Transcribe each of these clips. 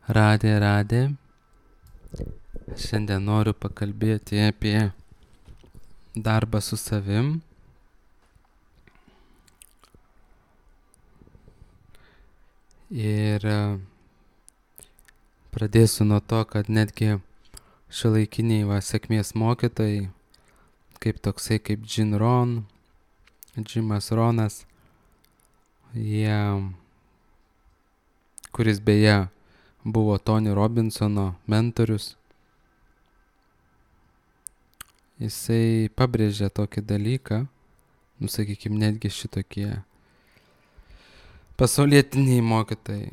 Radė. Šiandien noriu pakalbėti apie darbą su savim. Ir pradėsiu nuo to, kad netgi šiuolaikiniai sėkmės mokytojai, kaip Jimas Ronas, kuris beje buvo Tony Robinsono mentorius, jisai pabrėžė tokį dalyką, sakykime, netgi šitokie pasaulietiniai mokytojai.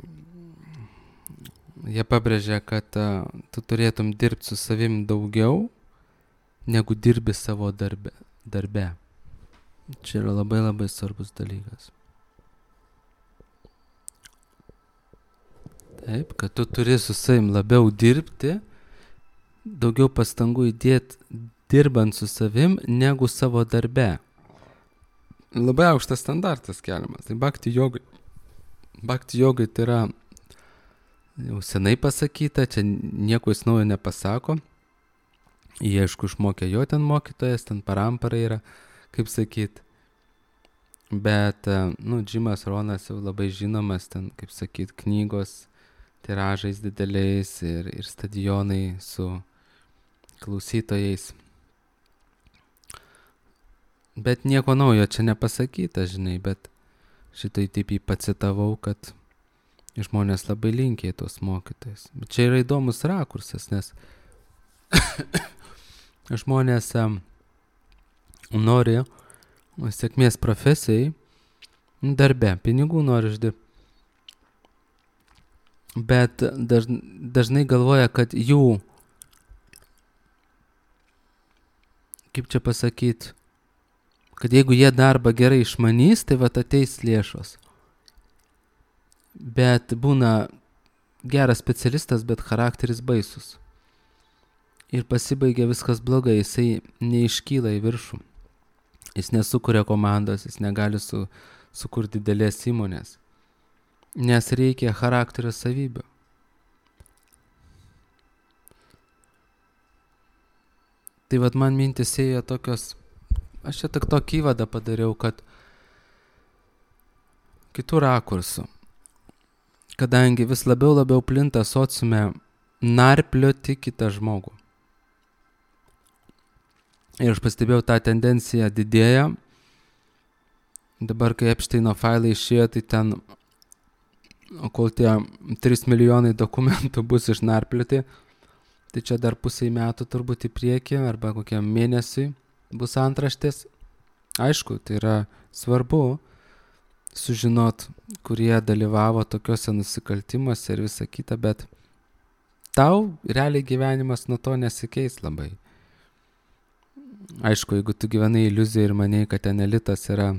Jie pabrėžė, kad tu turėtum dirbti su savim daugiau, negu dirbi savo darbe. Čia yra labai labai svarbus dalykas. Taip, kad tu turi su savim labiau dirbti, daugiau pastangų įdėti dirbant su savim, negu savo darbe. Labai aukštas standartas keliamas. Tai Bhakti jogai tai yra jau senai pasakyta, čia nieko jis naujo nepasako. Jie, aišku, išmokė jo ten mokytojas, ten parampara yra, kaip sakyt. Bet, Jimas Ronas jau labai žinomas, ten, kaip sakyt, knygos tiražais dideliais ir stadionai su klausytojais. Bet nieko naujo čia nepasakyta, žinai, bet šitai taip jį pacitavau, kad žmonės labai linkia į tos mokytojus. Bet čia yra įdomus rakursas, nes žmonės nori sėkmės profesijai, darbe, pinigų nori uždirbti. Bet dažnai galvoja, kad jų, kaip čia pasakyt, kad jeigu jie darbą gerai išmanys, tai ateis lėšos. Bet būna geras specialistas, bet charakteris baisus. Ir pasibaigia viskas blogai, jisai neiškyla į viršų. Jis nesukuria komandos, jis negali sukurti didelės įmonės. Nes reikia charakterio savybių. Tai man mintis ėjo tokios, aš čia tik tokį įvadą padariau, kad kitų rakursų, kadangi vis labiau plinta sociume narplioti kitą žmogų. Ir aš pastebėjau, tą tendenciją didėja. Dabar, kai Epsteino failai išėjo, tai ten, kol tie 3 milijonai dokumentų bus išnarplioti, tai čia dar pusei metų turbūt į priekį, arba kokiam mėnesiui bus antraštės. Aišku, tai yra svarbu sužinot, kurie dalyvavo tokiuose nusikaltimuose ir visa kita, bet tau realiai gyvenimas nuo to nesikeis labai. Aišku, jeigu tu gyvenai iliuziją ir manai, kad ten elitas yra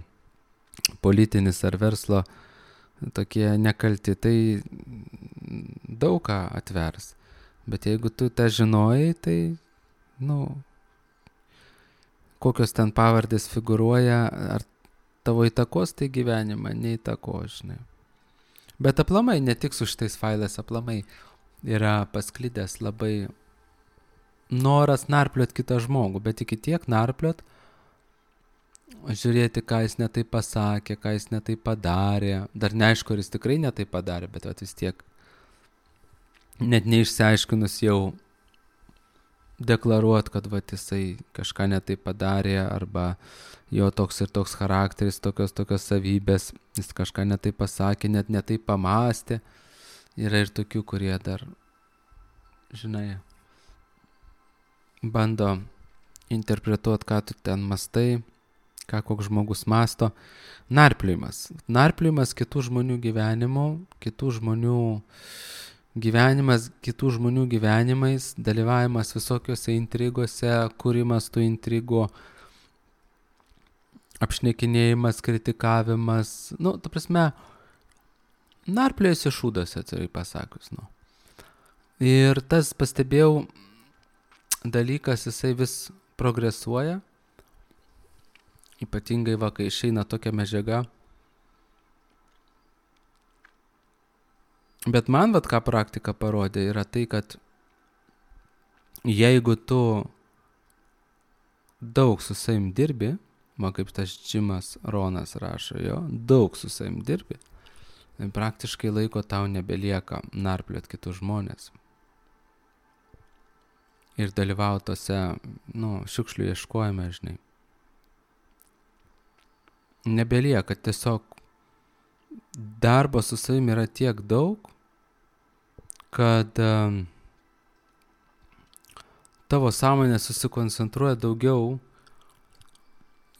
politinis ar verslo tokie nekalti, tai daug ką atvers. Bet jeigu tu tą žinojai, tai, kokios ten pavardės figūruoja, ar tavo įtakos tai gyvenimą, neįtako, žinai. Bet aplamai, ne tik su šitais failais, aplamai yra pasklidęs labai noras narpliot kitą žmogų, bet iki tiek narpliot, žiūrėti, ką jis netai pasakė, ką jis netai padarė. Dar neaišku, ar jis tikrai netai padarė, bet vis tiek net neišsiaiškinus jau deklaruot, kad jisai kažką netai padarė, arba jo toks ir toks charakteris, tokios savybės, jis kažką netai pasakė, net netai pamastė. Yra ir tokių, kurie dar, žinai, bando interpretuoti, ką tu ten mastai, ką koks žmogus masto. Narpliojimas kitų žmonių gyvenimų, kitų žmonių gyvenimais, dalyvavimas visokiose intrigose, kūrimas tų intrigų, apšnekinėjimas, kritikavimas, ta prasme, narpliojasi šūdose, atvirai pasakius. Ir tas, pastebėjau, dalykas, jisai vis progresuoja, ypatingai kai išeina tokia medžiaga, Bet man, ką praktika parodė, yra tai, kad jeigu tu daug su savim dirbi, kaip tas Džimas Ronas rašo, daug su savim dirbi, tai praktiškai laiko tau nebelieka narpliot kitus žmonės. Ir dalyvauti tose, šiukšlių ieškojime, žinai. Nebelieka, tiesiog darbo su savim yra tiek daug, kad tavo sąmonė susikoncentruoja daugiau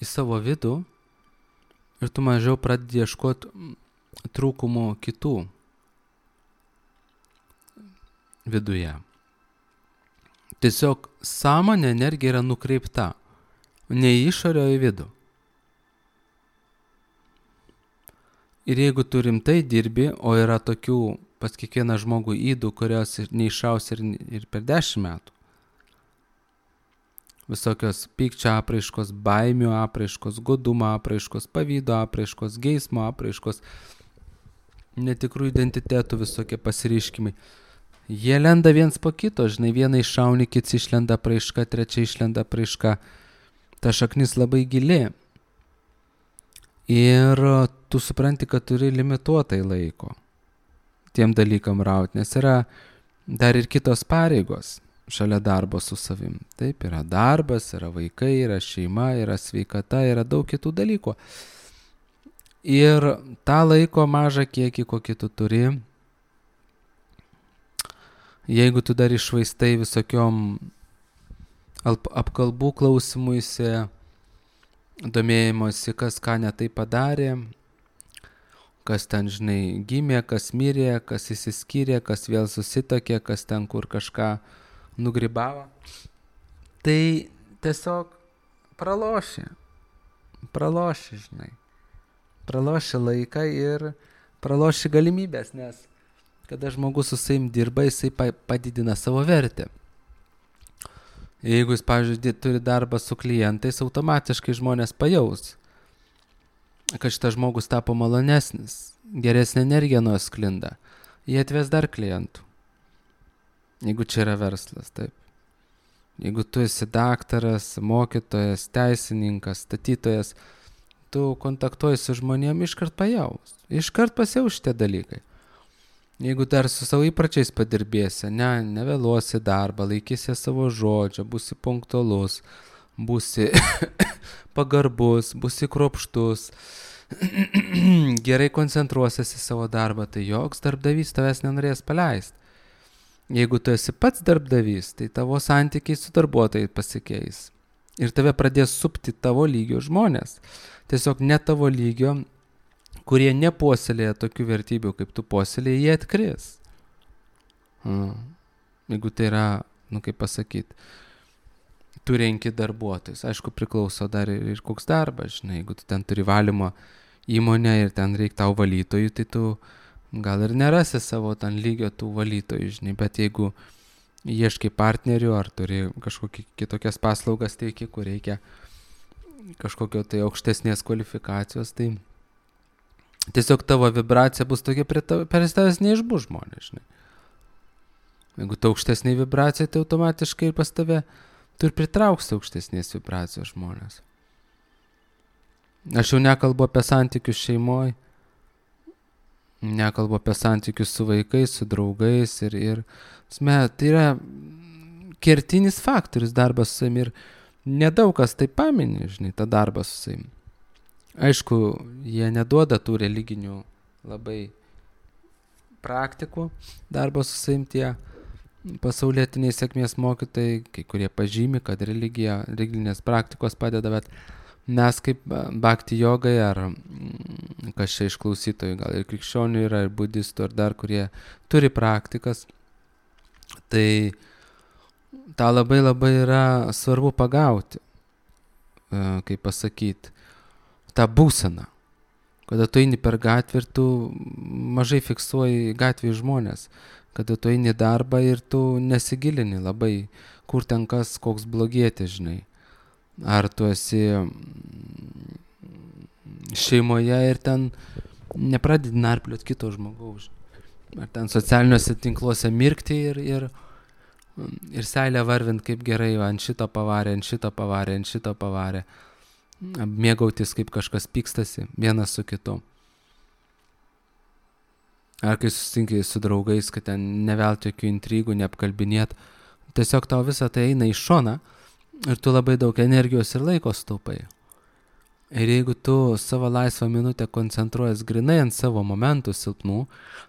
į savo vidų ir tu mažiau pradedi ieškoti trūkumų kitų viduje. Tiesiog sąmonė energija yra nukreipta ne į išorę, o į vidų. Ir jeigu tu rimtai dirbi, o yra tokių pas kiekvieną žmogų ydų, kurios neišaus ir per 10 metų, visokios pykčio apraiškos, baimių apraiškos, godumo apraiškos, pavydo apraiškos, geismo apraiškos, netikrų identitetų visokie pasireiškimai. Jie lenda viens po kito, žinai, vieną iššauni, kits išlenda apraiška, trečia išlenda apraiška. Ta šaknis labai gili. Ir tu supranti, kad turi limituotai laiko tiem dalykam rauti, nes yra dar ir kitos pareigos šalia darbo su savim. Taip, yra darbas, yra vaikai, yra šeima, yra sveikata, yra daug kitų dalykų. Ir tą laiko mažą kiekį, kokį tu turi, jeigu tu dar iššvaistai visokiom apkalbų klausimuisi, domėjimosi, kas ką ne tai padarė, kas ten, žinai, gimė, kas mirė, kas įsiskyrė, kas vėl susitokė, kas ten kur kažką nugribavo, tai tiesiog praloši, žinai. Praloši laiką ir praloši galimybės, nes kada žmogus su savim dirba, jisai padidina savo vertę. Jeigu jis, pavyzdžiui, turi darbą su klientais, automatiškai žmonės pajaus, kad šitas žmogus tapo malonesnis, geresnė energija nuo sklinda. Jie atves dar klientų. Jeigu čia yra verslas, taip. Jeigu tu esi daktaras, mokytojas, teisininkas, statytojas, tu kontaktuoji su žmonėm, iškart pajaus. Iškart pasijaus šitie dalykai. Jeigu dar su savo įpračiais padirbėsi, nevėluosi darbą, laikysi savo žodžio, būsi punktualus, būsi pagarbus, būsi kruopštus, gerai koncentruosiesi į savo darbą, tai joks darbdavys tavęs nenorės paleisti. Jeigu tu esi pats darbdavys, tai tavo santykiai su darbuotojai pasikeis. Ir tave pradės supti tavo lygio žmonės. Tiesiog ne tavo lygio, kurie nepuoselėja tokių vertybių, kaip tu puoselėji, jie atkris. Jeigu tai yra, kaip pasakyti, tu renki darbuotojus. Aišku, priklauso dar ir koks darbas, žinai. Jeigu tu ten turi valymo įmonę ir ten reikia tau valytojų, tai tu gal ir nerasi savo ten lygio tų valytojų, žinai. Bet jeigu ieškai partnerių ar turi kažkokias kitokias paslaugas teiki, kur reikia kažkokio tai aukštesnės kvalifikacijos, tai tiesiog tavo vibracija bus tokia per tavęs neišbus žmonės, žinai. Jeigu tu aukštesnė vibracija, tai automatiškai ir pas tave tu ir pritrauksi aukštesnės vibracijos žmonės. Aš jau nekalbu apie santykius šeimoje, nekalbu apie santykius su vaikais, su draugais ir tai yra kertinis faktorius darbas su savim ir nedaug kas tai pamini, žinai, tą darbą su savim. Aišku, jie neduoda tų religinių labai praktikų darbo su savim tie pasaulietiniai sėkmės mokytojai, kai kurie pažymi, kad religinės praktikos padeda, bet mes kaip bhakti jogai ar kas čia iš klausytojų, gal ir krikščionių yra, ir budistų, ar dar kurie turi praktikas, tai tą labai labai yra svarbu pagauti, kaip pasakyti, tą būseną, kada tu eini per gatvę ir tu mažai fiksuoji gatvėje žmonės, kada tu eini darbą ir tu nesigilini labai, kur ten kas, koks blogietis, žinai. Ar tu esi šeimoje ir ten nepradedi narpliot kito žmogaus. ar ten socialiniuose tinkluose mirkti ir seilę varvint, kaip gerai, ant šito pavarė, ant šito pavarė, ant šito pavarė. Mėgautis, kaip kažkas pykstasi vienas su kitu. Ar kai susitinki su draugais, kad ten nevelti jokių intrigų, neapkalbinėt. Tiesiog tau visą tai eina į šoną ir tu labai daug energijos ir laiko staupai. Ir jeigu tu savo laisvą minutę koncentruojas grinai ant savo momentų silpnų,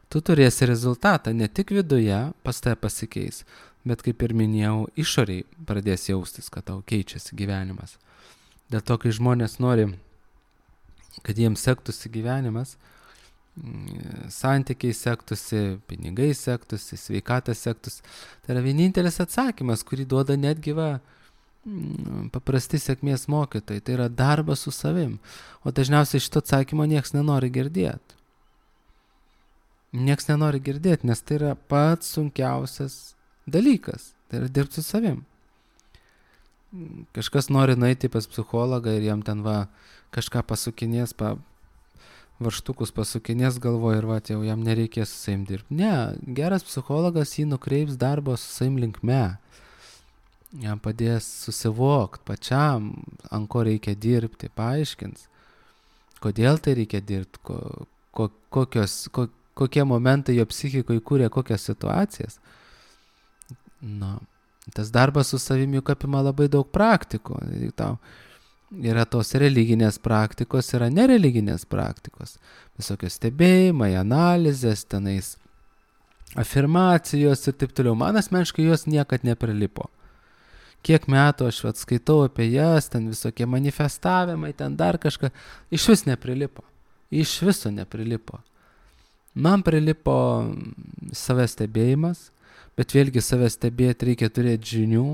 tu turėsi rezultatą ne tik viduje, pas tave pasikeis, bet kaip ir minėjau, išoriai pradės jaustis, kad tau keičiasi gyvenimas. Dėl to, kai žmonės nori, kad jiems sektųsi gyvenimas, santykiai sektųsi, pinigai sektųsi, sveikatas sektųsi, tai yra vienintelis atsakymas, kurį duoda netgi paprasti sėkmės mokytojai, tai yra darbas su savim. O dažniausiai šito atsakymo nieks nenori girdėti. Nieks nenori girdėti, nes tai yra pats sunkiausias dalykas, tai yra dirbti su savim. Kažkas nori nueiti pas psichologą ir jam ten kažką pasukinės, varštukus pasukinės galvoje ir jau jam nereikės su savim dirbti. Ne, geras psichologas jį nukreips darbo su savim linkme. Jam padės susivokti pačiam, ant ko reikia dirbti, paaiškins, kodėl tai reikia dirbti, kokie momentai jo psichikoje kūrė kokias situacijas. Tas darbas su savimi juk apima labai daug praktikų. Yra tos religinės praktikos, yra nereliginės praktikos. Visokios stebėjimai, analizės, tenais afirmacijos ir taip toliau. Man asmeniškai jos niekad neprilipo. Kiek metų aš skaitau apie jas, ten visokie manifestavimai, ten dar kažką, iš vis neprilipo. Iš viso neprilipo. Man prilipo savęs stebėjimas, bet vėlgi savęs stebėti reikia turėti žinių,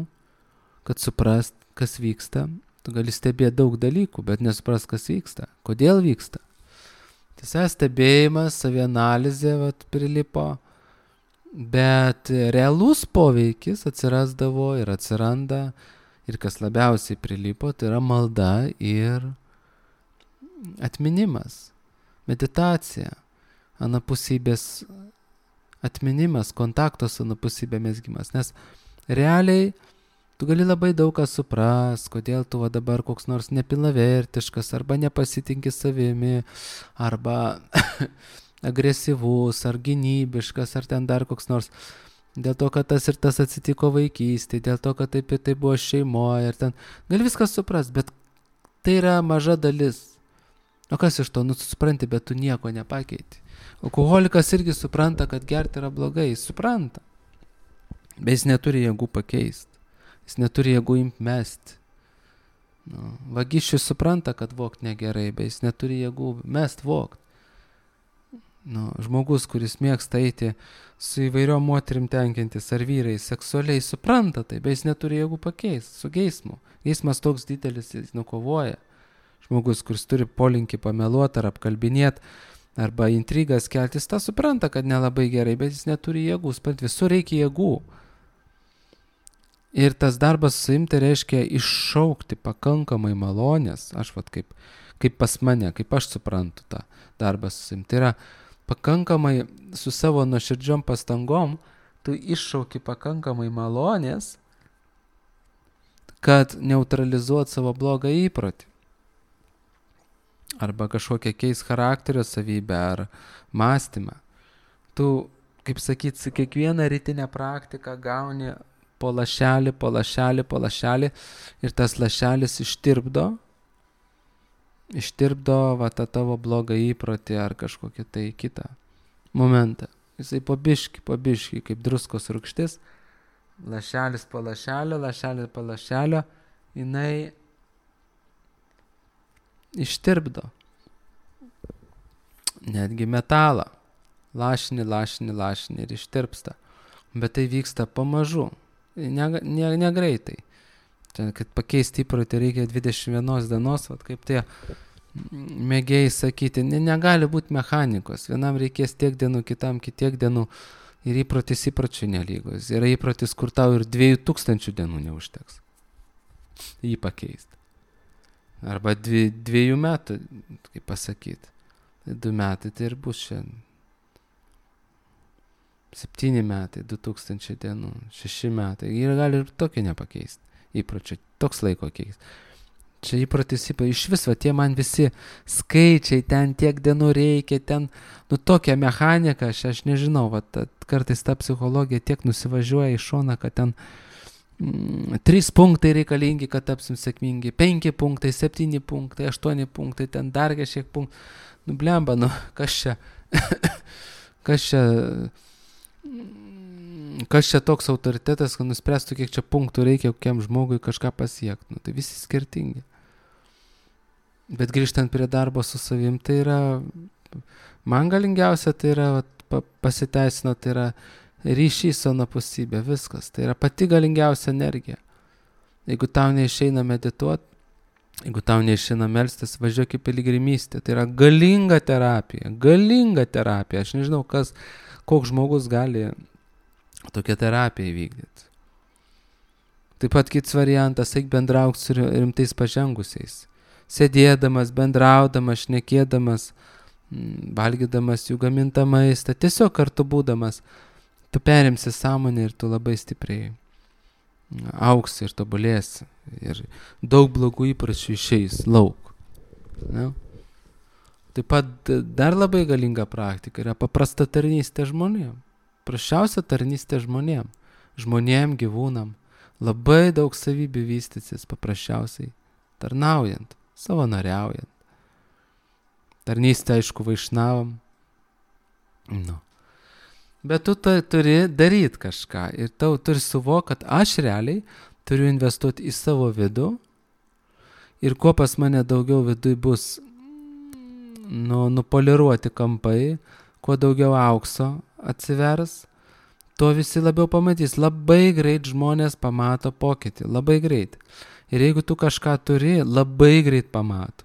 kad suprast, kas vyksta. Tu gali stebėti daug dalykų, bet nesuprast, kas vyksta. Kodėl vyksta? Tai savęs stebėjimas, savianalizė prilipo, bet realus poveikis atsirasdavo ir atsiranda, ir kas labiausiai prilipo, tai yra malda ir atminimas, meditacija, anapusybės atminimas, kontakto su anapusybė mezgimas. Nes realiai tu gali labai daug ką supras, kodėl tu dabar koks nors nepilnavertiškas, arba nepasitinki savimi, arba agresyvus, ar gynybiškas, ar ten dar koks nors. Dėl to, kad tas ir tas atsitiko vaikystėje, dėl to, kad taip ir tai buvo šeimoje, ir ten gali viskas suprast, bet tai yra maža dalis. O kas iš to? Supranti, bet tu nieko nepakeiti. Alkoholikas irgi supranta, kad gerti yra blogai, jis supranta. Bet jis neturi jėgų pakeisti. Jis neturi jėgų imti mesti. Vagišius supranta, kad vogt negerai, bet jis neturi jėgų mest vogt. Žmogus, kuris mėgsta eiti su įvairiom moterim tenkintis ar vyrai, seksualiai supranta tai, bet jis neturi jėgų pakeisti su geismu. Geismas toks didelis, jis nukovoja. Žmogus, kuris turi polinkį pameluoti ar apkalbinėti, arba intrigas kelti, jis tą supranta, kad nelabai gerai, bet jis neturi jėgų. Supranti, visur reikia jėgų. Ir tas darbas su savim tai reiškia iššaukti pakankamai malonės. Aš kaip pas mane, kaip aš suprantu tą darbą su savim. Tai yra pakankamai su savo nuoširdžiom pastangom, tu iššauki pakankamai malonės, kad neutralizuot savo blogą įprotį. Arba kažkokią keis charakterio savybę ar mąstymą. Tu, kaip sakyt, su kiekvieną rytinę praktiką gauni po lašelį, po lašelį, po lašelį ir tas lašelis ištirpdo tą tavo blogą įprotį ar kažkokį tai kitą momentą. Jisai po biškį, kaip druskos rūgštis, lašelis po lašelio, jinai ištirpdo. Netgi metalą. Lašini ir ištirpsta. Bet tai vyksta pamažu. Negreitai. Kad pakeisti įprotį reikia 21 dienos, kaip tie mėgėjai sakyti, negali būti mechanikos. Vienam reikės tiek dienų, kitam kitiek dienų. Ir įprotis įpročių nelygos. Yra įprotis, kur tau ir 2000 dienų neužteks jį pakeisti. Arba 2 metų, kaip pasakyti. 2 metai tai ir bus šiandien. 7 metai, 2000 dienų, 6 metai. Ir gali ir tokio nepakeisti. Įpročio, toks laiko keis. Čia įprotis, iš viso, tie man visi skaičiai, ten tiek dienų reikia, ten, tokia mechanika, aš nežinau, kartais ta psichologija tiek nusivažiuoja į šoną, kad ten 3 punktai reikalingi, kad tapsim sėkmingi, 5 punktai, 7 punktai, 8 punktai, ten dar kažkiek punktų. Blemba, kas čia, kas čia toks autoritetas, kad nuspręstų, kiek čia punktų reikia kokiam žmogui kažką pasiekti. Tai visi skirtingi. Bet grįžtant prie darbo su savim, tai yra, man galingiausia, tai yra, pasiteisino, tai yra ryšys su anapusybė, viskas. Tai yra pati galingiausia energija. Jeigu tau neišeina medituoti, jeigu tau neišeina melstis, važiuok į piligrimystę. Tai yra galinga terapija. Aš nežinau, koks žmogus gali tokią terapiją įvykdyti. Taip pat kits variantas, eik bendrauk su rimtais pažengusiais. Sėdėdamas, bendraudamas, šnekėdamas, valgydamas jų gamintą maistą, tiesiog kartu būdamas, tu perimsi sąmonę ir tu labai stipriai auksi ir tobulėsi. Ir daug blogų įpročių išeis lauk. Ne? Taip pat dar labai galinga praktika yra paprasta tarnystė žmonėm. Prašiausia tarnystė žmonėm. Žmonėm, gyvūnam. Labai daug savybių vystysis paprasčiausiai tarnaujant, savanoriaujant. Tarnystė, aišku, vaišnavam. Bet tu turi daryti kažką ir tau turi suvokti, kad aš realiai turiu investuoti į savo vidų ir kuo pas mane daugiau viduj bus nupoliruoti kampai, kuo daugiau aukso atsivers, tuo visi labiau pamatys. Labai greit žmonės pamato pokytį, labai greit. Ir jeigu tu kažką turi, labai greit pamato.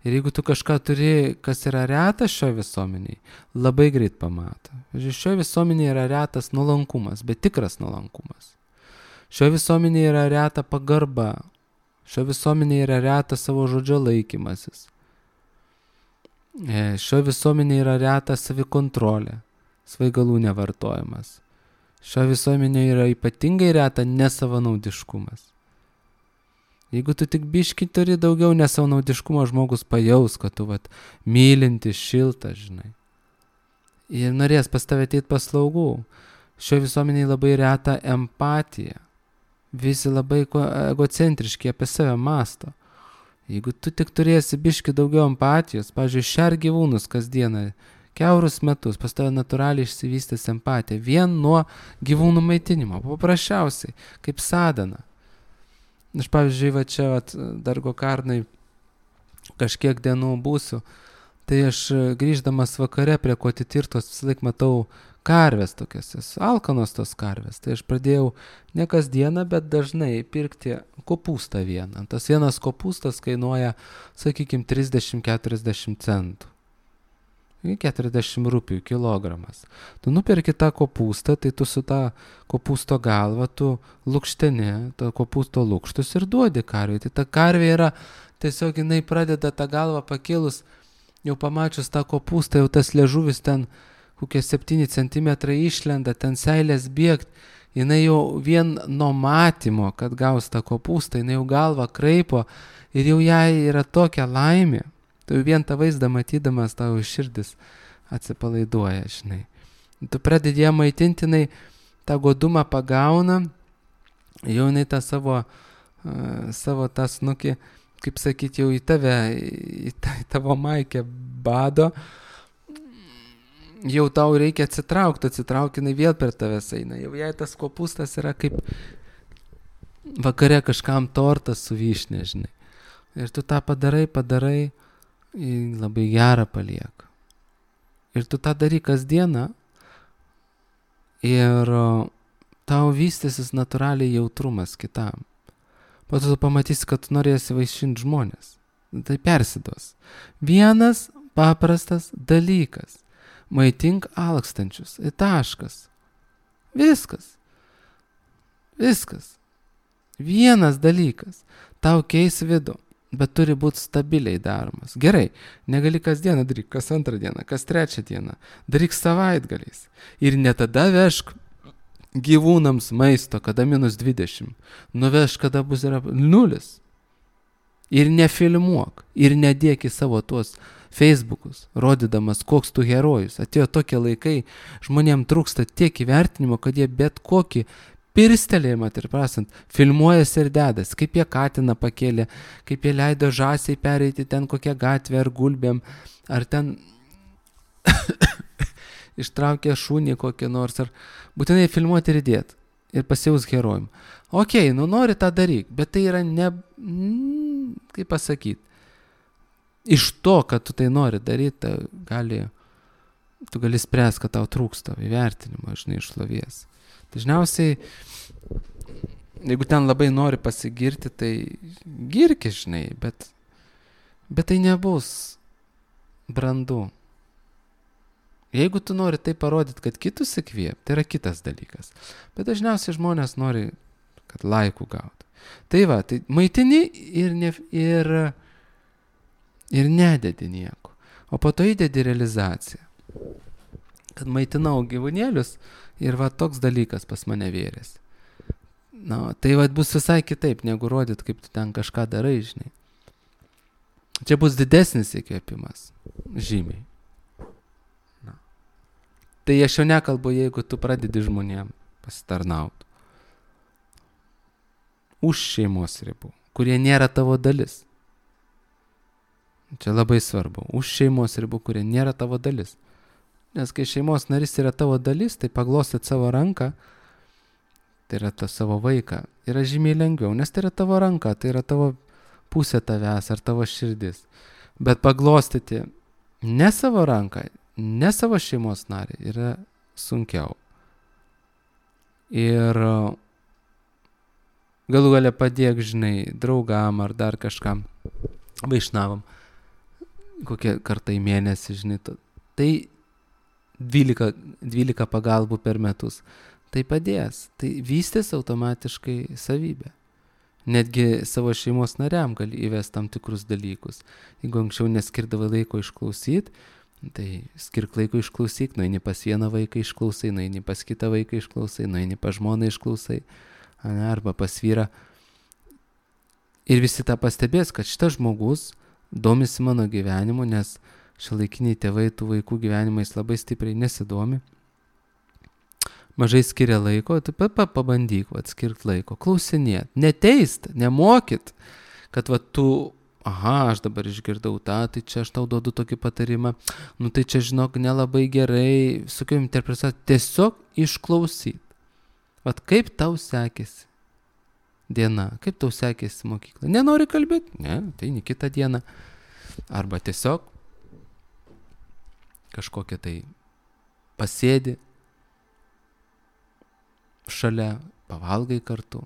Ir jeigu tu kažką turi, kas yra retas šioje visuomeniai, labai greit pamato. Šioje visuomenėje yra retas nuolankumas, bet tikras nuolankumas. Šioje visuomenėje yra reta pagarba. Šioje visuomenėje yra retas savo žodžio laikymasis. Šioje visuomenėje yra reta savikontrolė, svaigalų nevartojimas. Šioje visuomenėje yra ypatingai reta nesavanaudiškumas. Jeigu tu tik biškį turi daugiau nesavanaudiškumo, žmogus pajaus, kad tu mylintis, šiltas, žinai. Ir norės pas tave ateiti paslaugų. Šioje visuomenėje labai reta empatija. Visi labai egocentriški apie save mąsto. Jeigu tu tik turėsi biškį daugiau empatijos, pavyzdžiui, šer gyvūnus kasdieną, kiaurus metus, pas tave natūraliai išsivystys empatija. Vien nuo gyvūnų maitinimo. Paprasčiausiai, kaip sadana. Aš, pavyzdžiui, čia Dargo Karnai kažkiek dienų būsiu, tai aš grįždamas vakare prie Kotitirtos visą laik matau karves tokias, alkanos tos karves. Tai aš pradėjau ne kasdieną, bet dažnai pirkti kopūstą vieną. Tas vienas kopūstas kainuoja, sakykime, 30-40 centų. 40 rūpių kilogramas. Tu nuperki tą kopūstą, tai tu su tą kopūsto galva, tu lukšteni, tą kopūsto lukštus ir duodi karvei. Tai ta karvė yra, tiesiog jinai pradeda tą galvą pakėlus, jau pamačius tą kopūstą, jau tas liežuvis ten kokie 7 cm išlenda, ten seilės bėgt, jinai jau vien nuo matymo, kad gaus tą kopūstą, jinai jau galvą kraipo ir jau jai yra tokia laimė. Tu vien tą vaizdą matydamas, tavo širdis atsipalaiduoja, žinai. Tu pradedi ją maitinti, jinai tą godumą pagauna, jau jinai tą savo tą snukį, kaip sakyti, jau į tave, į tavo maikę bado, jau tau reikia atsitraukti, jinai vėl per tavęs eina. Jau jai tas kopūstas yra kaip vakare kažkam tortas su vyšne, žinai. Ir tu tą padarai, labai gerą palieka. Ir tu tą darai kasdieną ir tau vystysis natūraliai jautrumas kitam. Po to tu pamatysi, kad tu norėsi vaišinti žmonės. Tai persiduos. Vienas paprastas dalykas. Maitink alkstančius. Ir taškas. Viskas. Vienas dalykas. Tau keis vidų. bet turi būti stabiliai daromas. Gerai, negali kas dieną daryk, kas antrą dieną, kas trečią dieną, daryk savaitgaliais. Ir ne tada vežk gyvūnams maisto, kada -20, nuvežk, kada bus 0. Ir nefilmuok, ir nedėk į savo tuos Facebookus, rodydamas, koks tu herojus. Atėjo tokie laikai, žmonėms trūksta tiek įvertinimo, kad jie bet kokį pirstelėjimą, ir prasant, filmuojasi ir dedas, kaip jie katiną pakėlė, kaip jie leido žąsiai pereiti ten kokią gatvę ar gulbėm, ar ten ištraukė šunį kokį nors, ar būtinai filmuoti ir dėt, ir pasijaus herojum. Okei, nori tą daryk, bet tai yra ne, kaip pasakyti, iš to, kad tu tai nori daryti, tu gali spręsti, kad tau trūksta įvertinimo, žinai, šlovės. Dažniausiai, jeigu ten labai nori pasigirti, tai girki, žinai, bet tai nebus brandu. Jeigu tu nori tai parodyti, kad kitus įkvėp, tai yra kitas dalykas. Bet dažniausiai žmonės nori, kad laikų gautų. Tai va, tai maitini ir nededi nieko. O po to įdedi realizaciją. Kad maitinau gyvūnėlius ir va toks dalykas pas mane vėrėsi. Na, tai va bus visai kitaip, negu rodyt, kaip tu ten kažką darai, žinai. Čia bus didesnis įkvėpimas. Žymiai. Na. Tai aš jau nekalbu, jeigu tu pradedi žmonėm pasitarnauti. Už šeimos ribų, kurie nėra tavo dalis. Čia labai svarbu. Už šeimos ribų, kurie nėra tavo dalis. Nes kai šeimos narys yra tavo dalis, tai paglostyt savo ranką, tai yra savo vaiką, yra žymiai lengviau, nes tai yra tavo ranka, tai yra tavo pusė tavęs ar tavo širdis. Bet paglostyti ne savo ranką, ne savo šeimos narį yra sunkiau. Ir galų gale padėk, žinai, draugam ar dar kažkam, vaišnavam, kokie kartą į mėnesį, žinai, tai 12 pagalbų per metus. Tai padės, tai vystės automatiškai savybę. Netgi savo šeimos nariam gali įvesti tam tikrus dalykus. Jeigu anksčiau neskirdavai laiko išklausyti, tai skirk laiko išklausyk, nueini pas vieną vaiką išklausai, nueini pas kitą vaiką išklausai, nueini pas žmoną išklausai, arba pas vyrą. Ir visi tą pastebės, kad šitas žmogus domisi mano gyvenimu, nes šiuolaikiniai tėvai tų vaikų gyvenimais labai stipriai nesidomi. Mažai skiria laiko, tai pabandyk atskirt laiko, klausinėt, neteist, nemokyt, kad tu, aš dabar išgirdau tą, tai čia aš tau duodu tokį patarimą, tai čia žinok nelabai gerai, sukiau interpretuoti, tiesiog išklausyt. Kaip tau sekėsi diena, kaip tau sekėsi mokykla, nenori kalbėti, ne, tai ne kitą dieną, arba tiesiog kažkokia tai pasėdi šalia, pavalgai kartu.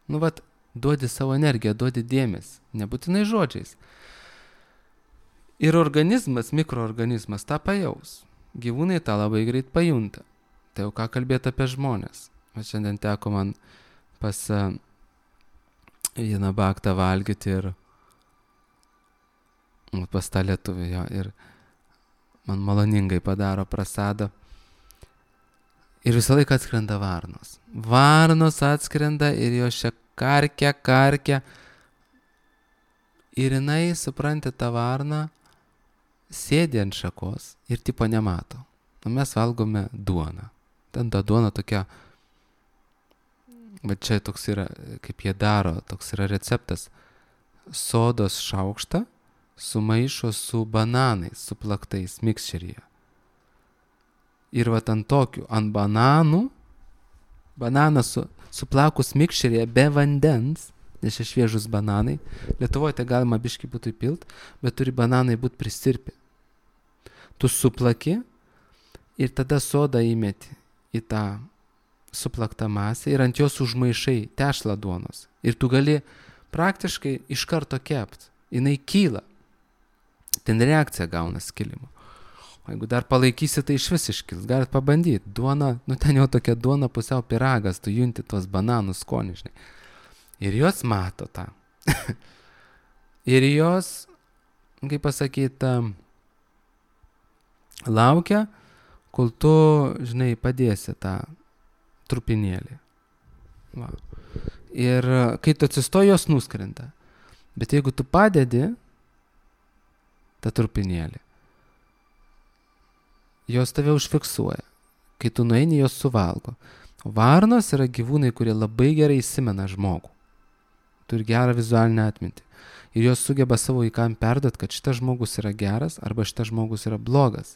Duodi savo energiją, duodi dėmesį, nebūtinai žodžiais. Ir organizmas, mikroorganizmas tą pajaus. Gyvūnai tą labai greit pajunta. Tai jau ką kalbėti apie žmonės. Šiandien teko man pas vieną baktą valgyti ir pas tą lietuvį jo, ir man maloningai padaro prasadą. Ir visą laiką atskrenda varnos. Varnos atskrenda ir jos čia karkia. Ir jinai, supranti, tą varną sėdi ant šakos ir tipo nemato. Mes valgome duoną. Ten ta duona tokia, bet čia toks yra, kaip jie daro, toks yra receptas. Sodos šaukštą sumaišo su bananais, suplaktais mikšeryje. Ir ant tokių, ant bananų, bananas suplakus mikšeryje be vandens, nes čia šviežus bananai, Lietuvoje tai galima biškį būtų įpilt, bet turi bananai būti prisirpę. Tu suplaki ir tada sodą įmeti į tą suplaktą masę ir ant jos užmaišai tešlą duonos. Ir tu gali praktiškai iš karto kept. Jinai kyla. Ten reakcija gauna skilimo. O jeigu dar palaikysi, tai iš vis iškils. Galit pabandyti. Duona, ten jau tokia duona pusiau pyragas, tu junti tos bananų skonį, žinai. Ir jos mato tą. Ir jos, kaip pasakyti, laukia, kol tu, žinai, padėsi tą trupinėlį. Va. Ir kai tu atsistoji, jos nuskrenda. Bet jeigu tu padedi tą trupinėlį, jos tave užfiksuoja. Kai tu nueini, jos suvalgo. O varnos yra gyvūnai, kurie labai gerai įsimena žmogų. Turi gerą vizualinę atmintį. Ir jos sugeba savo vaikam perduoti, kad šitas žmogus yra geras arba šitas žmogus yra blogas.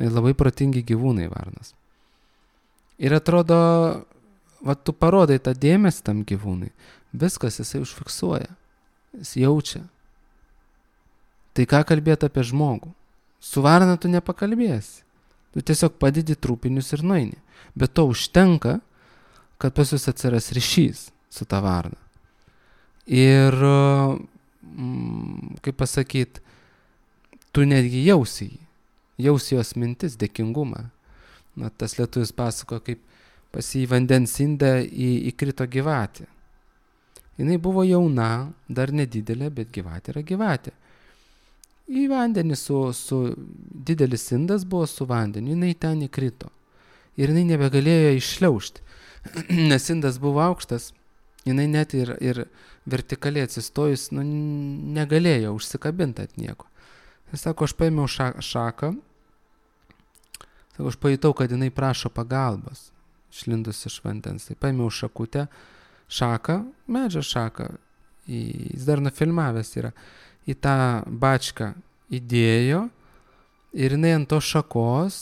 Ir labai protingi gyvūnai varnos. Ir atrodo, va tu parodai tą dėmesį tam gyvūnui. Viskas jisai užfiksuoja. Jis jaučia. Tai ką kalbėti apie žmogų? Su varna tu nepakalbėsi. Tu tiesiog padedi trupinius ir nueini. Bet to užtenka, kad pas jūs atsiras ryšys su ta varna. Ir, kaip pasakyt, tu netgi jausi jį. Jausi jos mintis, dėkingumą. Na, tas lietuvis pasako, kaip pas jį vandens indą įkrito gyvatė. Jinai buvo jauna, dar nedidelė, bet gyvatė yra gyvatė. Į vandenį su didelis indas buvo su vandeniu, jinai ten įkrito. Ir jinai nebegalėjo iššliaužti, nes indas buvo aukštas, jinai net ir vertikaliai atsistojus, negalėjo užsikabinti ant nieko. Jis sako, aš paėmiau šaką, sako, aš pajutau, kad jinai prašo pagalbos, išlindus iš vandens. Tai paėmiau šakutę, šaką, medžio šaką, jis dar nufilmavęs yra, į tą bačką įdėjo ir jinai ant tos šakos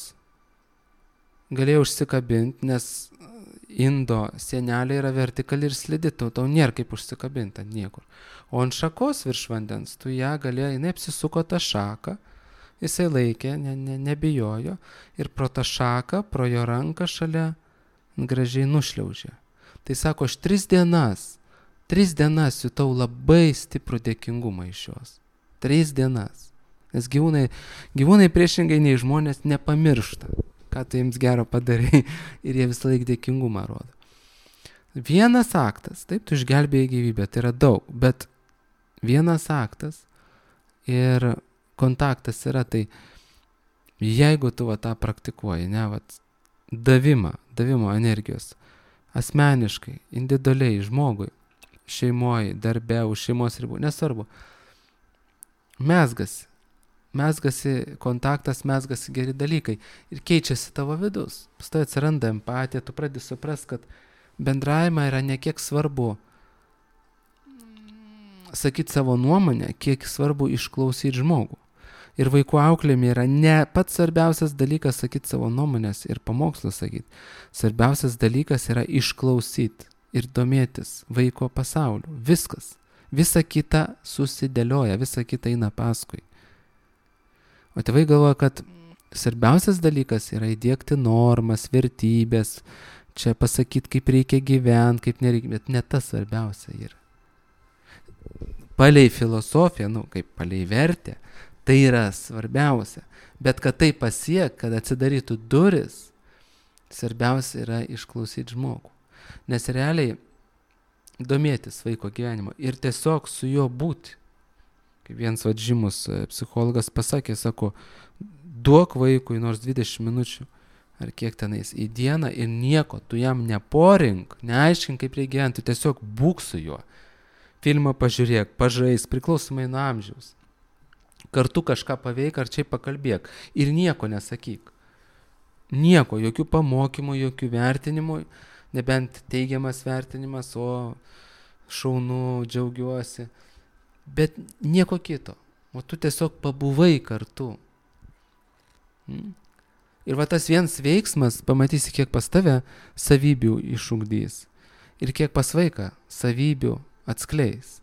galėjo užsikabinti, nes indo sienelė yra vertikali ir slidi, tau nėra kaip užsikabinti ant niekur. O ant šakos virš vandens, tu ją galėjo, jinai apsisuko tą šaką, jisai laikė, nebijojo ir pro tą šaką, pro jo ranką šalia gražiai nušliaužė. Tai sako, aš 3 dienas jutau labai stiprų dėkingumą iš jos. 3 dienas. Nes gyvūnai priešingai nei žmonės nepamiršta, ką tu jiems gero padarai ir jie visą laiką dėkingumą rodo. Vienas aktas, taip, tu išgelbėjai gyvybę, tai yra daug, bet vienas aktas ir kontaktas yra, tai jeigu tu tą praktikuoji, davimo energijos, asmeniškai, individualiai, žmogui, šeimoje, darbe, už šeimos ribų, nesvarbu. Mezgasi kontaktas, mezgasi geri dalykai ir keičiasi tavo vidus. Paskui atsiranda empatija, tu pradedi suprast, kad bendravimą yra ne kiek svarbu sakyti savo nuomonę, kiek svarbu išklausyti žmogų. Ir vaikų auklėjime yra ne pats svarbiausias dalykas sakyti savo nuomonės ir pamokslus sakyti. Svarbiausias dalykas yra išklausyti ir domėtis vaiko pasauliu. Viskas. Visa kita susidėlioja, visa kita eina paskui. O tėvai galvoja, kad svarbiausias dalykas yra įdiegti normas, vertybės, čia pasakyti, kaip reikia gyventi, kaip nereikia, bet ne tas svarbiausia yra. Palei filosofiją, kaip palei vertę, tai yra svarbiausia. Bet kad tai pasiek, kad atsidarytų duris, svarbiausia yra išklausyti žmogų. Nes realiai domėtis vaiko gyvenimo ir tiesiog su juo būti. Kaip vienas žymus psichologas pasakė, sako, duok vaikui nors 20 minučių ar kiek tenais į dieną ir nieko, tu jam neporink, neaiškink, kaip reikia gyventi, tiesiog būk su juo. Filmą pažiūrėk, pažais, priklausomai nuo amžiaus. Kartu kažką paveik ar čia pakalbėk ir nieko nesakyk. Nieko, jokių pamokymų, jokių vertinimų, nebent teigiamas vertinimas, o šaunu, džiaugiuosi, bet nieko kito. O tu tiesiog pabuvai kartu. Ir tas vienas veiksmas, pamatysi, kiek pas tave savybių išugdys ir kiek pas vaiką savybių atskleis.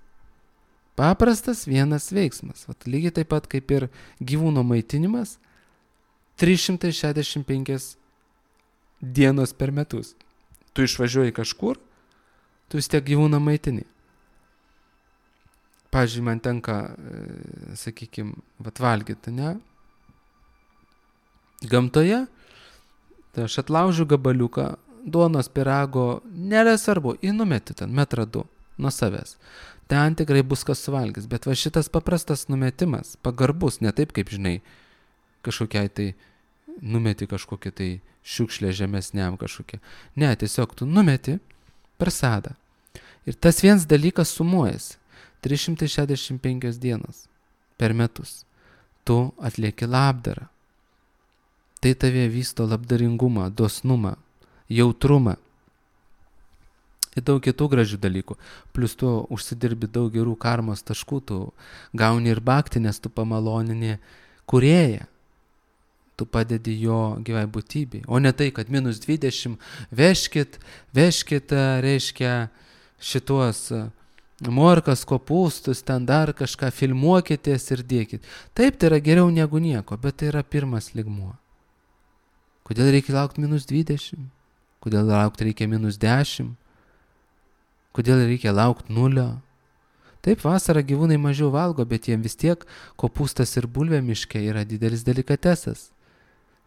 Paprastas vienas veiksmas. Lygiai taip pat kaip ir gyvūno maitinimas 365 dienos per metus. Tu išvažiuoji kažkur, tu vis tiek gyvūną maitini. Pavyzdžiui, man tenka, valgyti, ne? Gamtoje, tai aš atlaužiu gabaliuką, duonos pyrago, nėra svarbu, įnumeti ten 1-2 nuo savęs. ten tikrai bus kas suvalgys. Bet va šitas paprastas numetimas, pagarbus, ne taip kaip, žinai, kažkokiai tai numeti kažkokią tai šiukšlę žemesniam kažkokią. Ne, tiesiog tu numeti per sadą. Ir tas vienas dalykas sumuojasi. 365 dienas per metus. Tu atlieki labdarą. Tai tave vysto labdaringumą, dosnumą, jautrumą ir daug kitų gražių dalykų. Plus tu užsidirbi daug gerų karmos taškų, tu gauni ir bhakti, nes tu pamalonini kūrėją. Tu padedi jo gyvai būtybei. O ne tai, kad -20 vežkit, reiškia šituos morkas, kopūstus, ten dar kažką, filmuokitės ir dėkit. Taip, tai yra geriau negu nieko, bet tai yra pirmas lygmuo. Kodėl reikia laukti -20? Kodėl laukti reikia -10? Kodėl reikia laukti 0? Taip, vasarą gyvūnai mažiau valgo, bet jiem vis tiek kopūstas ir bulvė miške yra didelis delikatesas.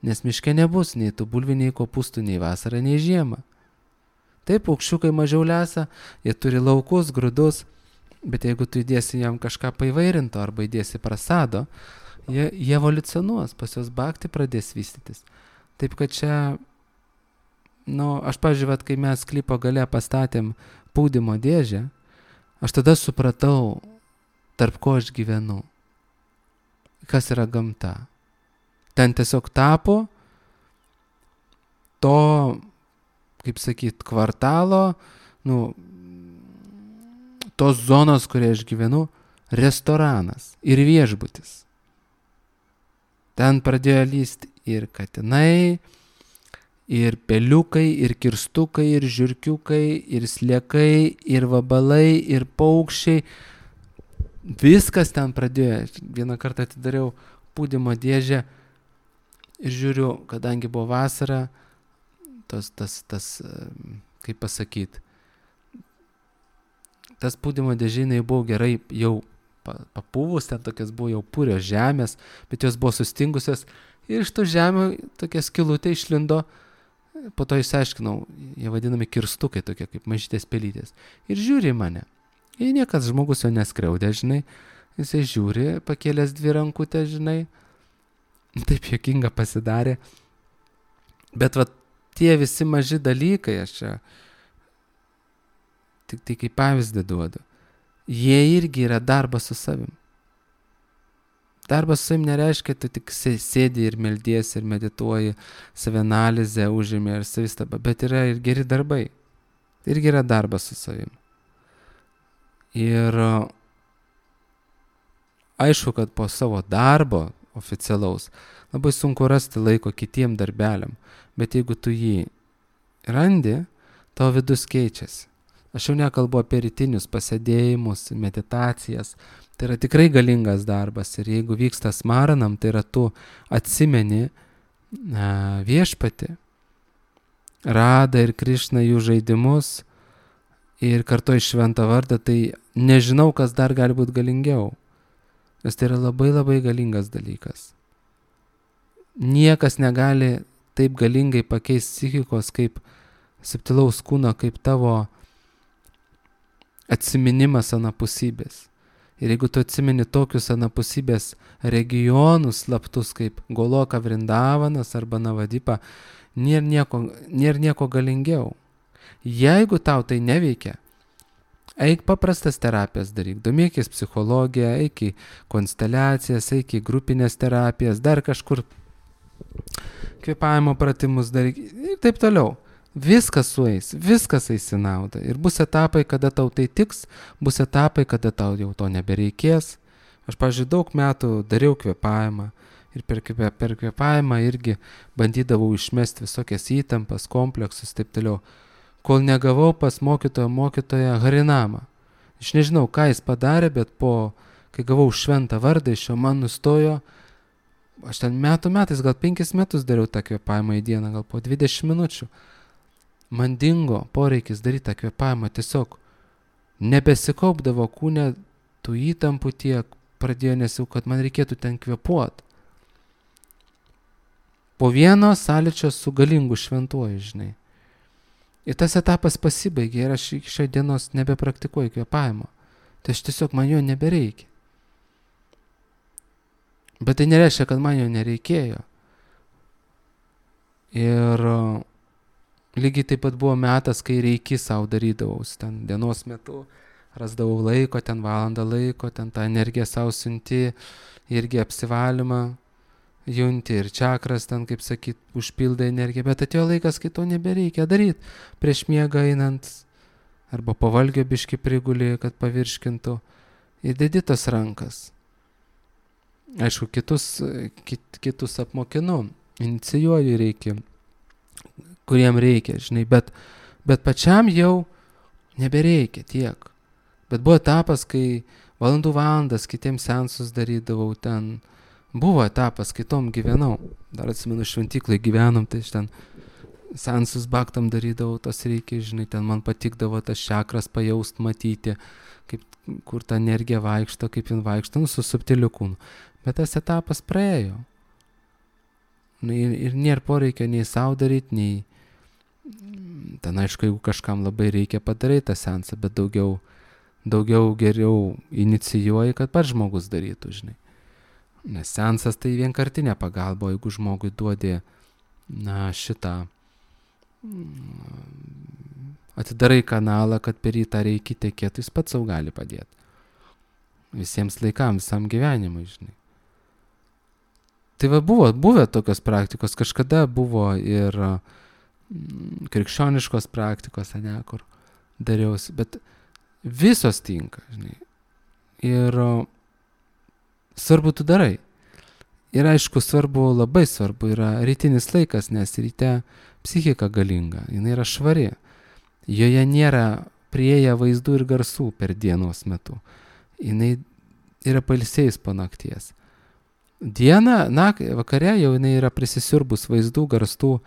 Nes miške nebus nei tų bulvių, nei kopūstų, nei vasarą, nei žiemą. Taip, paukščiukai mažiau lesa, jie turi laukus, grūdus, bet jeigu tu įdėsi jam kažką paivairinto arba įdėsi prasado, jie evoliucionuos, pas jos bhakti pradės vystytis. Taip, kad čia, aš pažiūrėjau, kai mes klipo gale pastatėm pūdymo dėžę, aš tada supratau, tarp ko aš gyvenu, kas yra gamta. Ten tiesiog tapo to, kaip sakyt, kvartalo, tos zonos, kurioje aš gyvenu, restoranas ir viešbutis. Ten pradėjo lysti ir katinai, ir peliukai, ir kirstukai, ir žiurkiukai, ir sliekai, ir vabalai, ir paukščiai. Viskas ten pradėjo. Vieną kartą atidariau pūdymo dėžę ir žiūriu, kadangi buvo vasara, kaip pasakyt, tas pūdymo dėžynai buvo gerai jau papūvus, ten tokias buvo jau purios žemės, bet jos buvo sustingusios ir iš to žemė tokia skylutė išlindo, po to išsiaiškinau, jie vadinami kirstukai tokie kaip mažytės pelytės. Ir žiūri mane. Ir niekas žmogus jo neskriaudė, žinai, jisai žiūri, pakėlęs 2 rankutės, žinai, taip juokinga pasidarė. Bet va tie visi maži dalykai, aš čia tik tai kaip pavyzdį duodu, jie irgi yra darbas su savim. Darbas su savim nereiškia, tu tik sėdi ir meldiesi ir medituoji, savianalizę užimi ir savistabą, bet yra ir geri darbai. Tai irgi yra darbas su savim. Ir aišku, kad po savo darbo oficialaus labai sunku rasti laiko kitiem darbeliam, bet jeigu tu jį randi, tavo vidus keičiasi. Aš jau nekalbu apie rytinius pasėdėjimus, meditacijas. Tai yra tikrai galingas darbas ir jeigu vyksta smaranam, tai yra tu atsimeni viešpatį, Radą ir Krišną jų žaidimus ir kartu šventą vardą, tai nežinau, kas dar gali būti galingiau. Nes tai yra labai labai galingas dalykas. Niekas negali taip galingai pakeisti psichikos kaip subtilaus kūno, kaip tavo atsiminimas anapusybės. Ir jeigu tu atsimeni tokius anapusybės regionus slaptus kaip Goloka Vrindavanas arba Navadipa, nėra nieko galingiau. Jeigu tau tai neveikia, eik paprastas terapijas daryk, domėkis psichologiją, eik į konsteliacijas, eik į grupinės terapijas, dar kažkur kvėpavimo pratimus daryk ir taip toliau. Viskas sueis, viskas eis į naudą. Ir bus etapai, kada tau tai tiks, bus etapai, kada tau jau to nebereikės. Aš, pavyzdžiui, daug metų dariau kvėpavimą ir per kvėpavimą irgi bandydavau išmesti visokias įtampas, kompleksus, taip toliau. Kol negavau pas mokytoją Harinamą. Aš nežinau, ką jis padarė, bet kai gavau šventą vardą iš jo, man nustojo, aš ten metais, gal 5 metus dariau tą kvėpavimą į dieną, gal po 20 minučių. Man dingo poreikis daryti tą kvėpavimą, tiesiog nebesikaupdavo kūne tų įtampų tiek, pradėjo nesiau, kad man reikėtų ten kvėpuoti. Po vieno sąlyčio su galingu šventuoju, žinai. Ir tas etapas pasibaigė ir aš iki šios dienos nebepraktikuoju kvėpavimo. Tai aš tiesiog man jo nebereikia. Bet tai nereiškia, kad man jo nereikėjo. Ir lygiai taip pat buvo metas, kai reiki savo darydavau, ten dienos metu rasdavau laiko, ten valandą laiko, ten tą energiją savo siunti, irgi apsivalymą junti ir čakras ten, kaip sakyt, užpildai energiją, bet atėjo laikas, kai to nebereikia daryti. Prieš miegą einant, arba pavalgio biški prigulį, kad pavirškintų, ir dedi tas rankas. Aišku, kitus apmokinu, inicijuoju reikia, kuriem reikia, žinai, bet pačiam jau nebereikia tiek. Bet buvo etapas, kai valandas kitiems seansus darydavau ten. Buvo etapas, kitom gyvenau. Dar atsimenu, šventyklai gyvenom, tai aš ten seansus baktam darydavau, tas reikia, žinai, ten man patikdavo tas čakras pajaust, matyti, kaip, kur ta energija vaikšto, kaip jin vaikšto, su subtiliu kūnu. Bet tas etapas praėjo. Ir nėra poreikio nei savo daryti, nei ten, aišku, jeigu kažkam labai reikia padaryti tą seansą, bet daugiau geriau inicijuoji, kad pats žmogus darytų, žinai. Nes seansas tai vienkartinė pagalba, jeigu žmogui duodi, šitą, atidarai kanalą, kad per jį tą reikia tekėti, jis pats savo gali padėti. Visiems laikams, visam gyvenimui, žinai. Tai va buvę tokios praktikos, kažkada buvo ir krikščioniškos praktikos, kur dariausi, bet visos tinka, žinai. Ir svarbu tu darai. Ir aišku, labai svarbu yra rytinis laikas, nes ryte psichika galinga, jinai yra švari. Joje nėra prieėję vaizdų ir garsų per dienos metu. Jinai yra pailsėjus po nakties. Dieną, vakare jau jinai yra prisisiurbus vaizdų, garsų,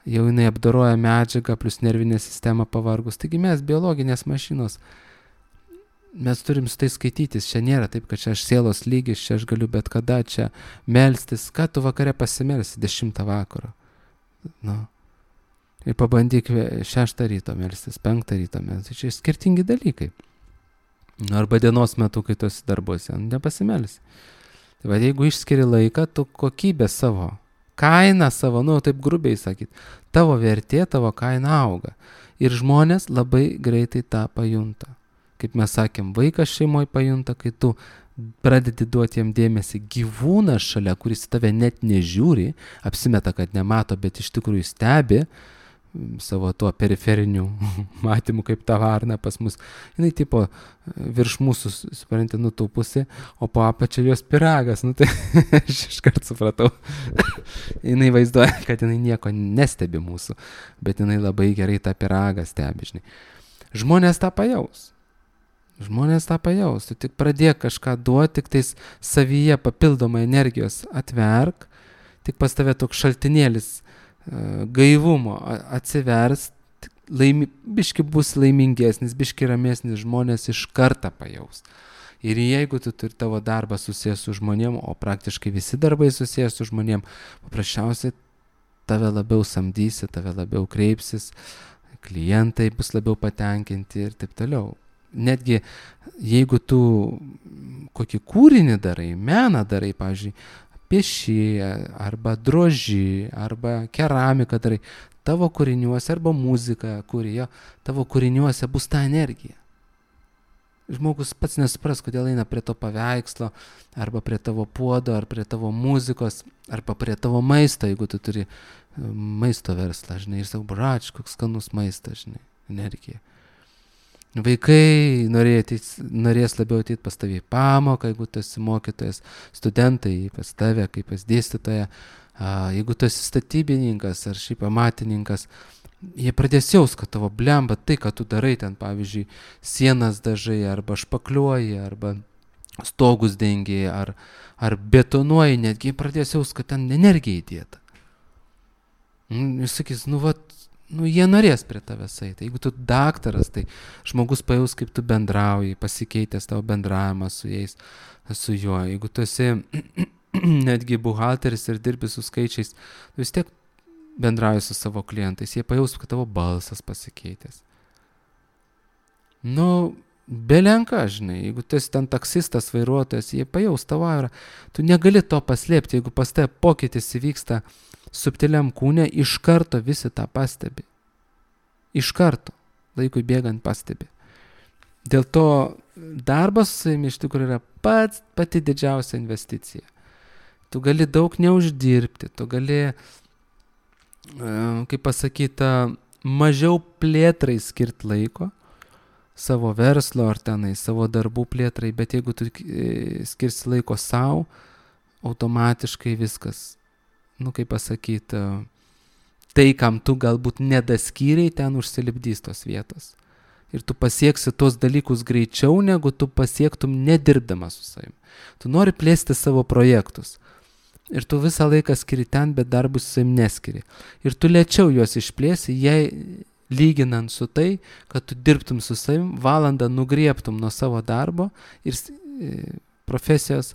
jau jinai apdoroja medžiagą, plus nervinė sistema pavargus. Taigi mes biologinės mašinos, mes turim su tai skaitytis. Čia nėra taip, kad čia aš sielos lygis, čia aš galiu bet kada čia melstis. Ką tu vakare pasimelsi 10 vakaro? Ir pabandyk 6 ryto melstis, 5 ryto melstis. Čia skirtingi dalykai. Arba dienos metu, kai tu esi darbuose, nepasimelsi. Tai va, jeigu išskiri laiką, tu kokybę savo, kainą savo, taip grubiai sakyt, tavo vertė, tavo kaina auga. Ir žmonės labai greitai tą pajunta. Kaip mes sakėm, vaikas šeimoje pajunta, kai tu pradedi duoti jam dėmesį. Gyvūnas šalia, kuris tave net nežiūri, apsimeta, kad nemato, bet iš tikrųjų stebi savo tuo periferiniu matymu, kaip ta varna pas mus. Jinai tipo virš mūsų, supranti, nutūpusi, o po apačia jos pyragas. Tai aš iškart supratau. Jinai vaizduoja, kad jinai nieko nestebi mūsų, bet jinai labai gerai tą pyragą stebi, žinai. Žmonės tą pajaus. Tu tik pradėk kažką duoti, tik tais savyje papildomą energijos atverk, tik pas tave toks šaltinėlis gaivumo atsivers, biški bus laimingesnis, biški ramesnis, žmonės iš karto pajaus. Ir jeigu tu turi tavo darbą susijęs su žmonėm, o praktiškai visi darbai susijęs su žmonėm, paprasčiausiai tave labiau samdysi, tave labiau kreipsis, klientai bus labiau patenkinti ir taip toliau. Netgi jeigu tu kokį kūrinį darai, meną darai, pavyzdžiui, pieši, arba droži, arba keramiką darai, tavo kūriniuose, arba muziką kūrėjo, tavo kūriniuose bus ta energija. Žmogus pats nesupras, kodėl eina prie to paveikslo, arba prie tavo puodo, ar prie tavo muzikos, arba prie tavo maisto, jeigu tu turi maisto verslą, žinai, ir sako, brač, koks skanus maistas, žinai, energija. Vaikai norės labiau ateiti pas tavį į pamoką, jeigu tu esi mokytojas, studentai pas tave, kaip pas dėstytoja, jeigu tu esi statybininkas ar šiaip amatininkas, jie pradės jaus, kad tavo blemba, tai, kad tu darai ten, pavyzdžiui, sienas dažai, arba špakliuoji, arba stogus dengi, ar betonuoji, netgi pradės jaus, kad ten energija įdėta. Jis sakys, jie norės prie tavęs eiti. Jeigu tu daktaras, tai žmogus pajaus, kaip tu bendrauji, pasikeitęs tavo bendravimą su jais, su juo. Jeigu tu esi netgi buhalteris ir dirbi su skaičiais, vis tiek bendrauji su savo klientais, jie pajaus, kad tavo balsas pasikeitęs. belenka, žinai, jeigu tu esi ten taksistas, vairuotojas, jie pajaus tavo aurą, tu negali to paslėpti, jeigu pas tave pokytis įvyksta subtiliam kūne, iš karto visi tą pastebi. Iš karto, laikui bėgant pastebi. Dėl to darbas su savimi iš tikrųjų yra pati didžiausia investicija. Tu gali daug neuždirbti, tu gali, kaip pasakyta, mažiau plėtrai skirti laiko, savo verslo ar tenai, savo darbų plėtrai, bet jeigu tu skirsi laiko savo, automatiškai viskas, kaip pasakyti, tai, kam tu galbūt nedaskyriai, ten užsilipdys tos vietos. Ir tu pasieksi tos dalykus greičiau, negu tu pasiektum nedirbdamas su savim. Tu nori plėsti savo projektus. Ir tu visą laiką skiri ten, bet darbus su savim neskiri. Ir tu lėčiau juos išplėsi, jei lyginant su tai, kad tu dirbtum su savim, valandą nugriebtum nuo savo darbo ir profesijos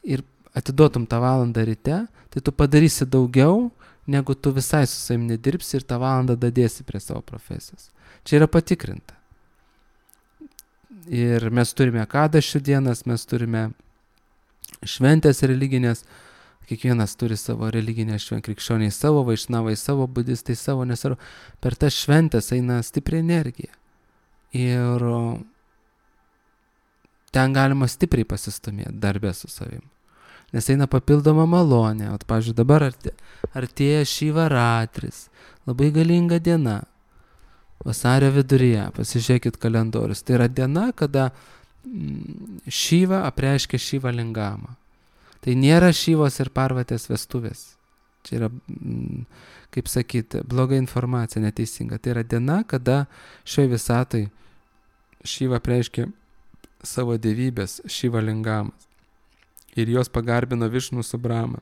ir atiduotum tą valandą ryte, tai tu padarysi daugiau, negu tu visai su savim nedirbsi ir tą valandą dadėsi prie savo profesijos. Čia yra patikrinta. Ir mes turime kadašių dienas, mes turime šventės religinės, kiekvienas turi savo religinę šventę, krikščioniai savo, vaišnavai savo, budistai savo, nesvarbu. Per tas šventės eina stipri energija. Ir ten galima stipriai pasistumėti darbę su savim. Nes eina papildoma malonė. O, pavyzdžiui, dabar artėja Šivaratris. Labai galinga diena. Vasario viduryje. Pasižiūrėkit kalendorius. Tai yra diena, kada Šiva apreiškia Šiva Lingamą. Tai nėra Šivos ir Parvatės vestuvės. Čia yra, kaip sakyti, bloga informacija, neteisinga. Tai yra diena, kada šioje visatai Šiva apreiškia savo dievybės Šiva Lingamas. Ir jos pagarbino Višnų su Brahma.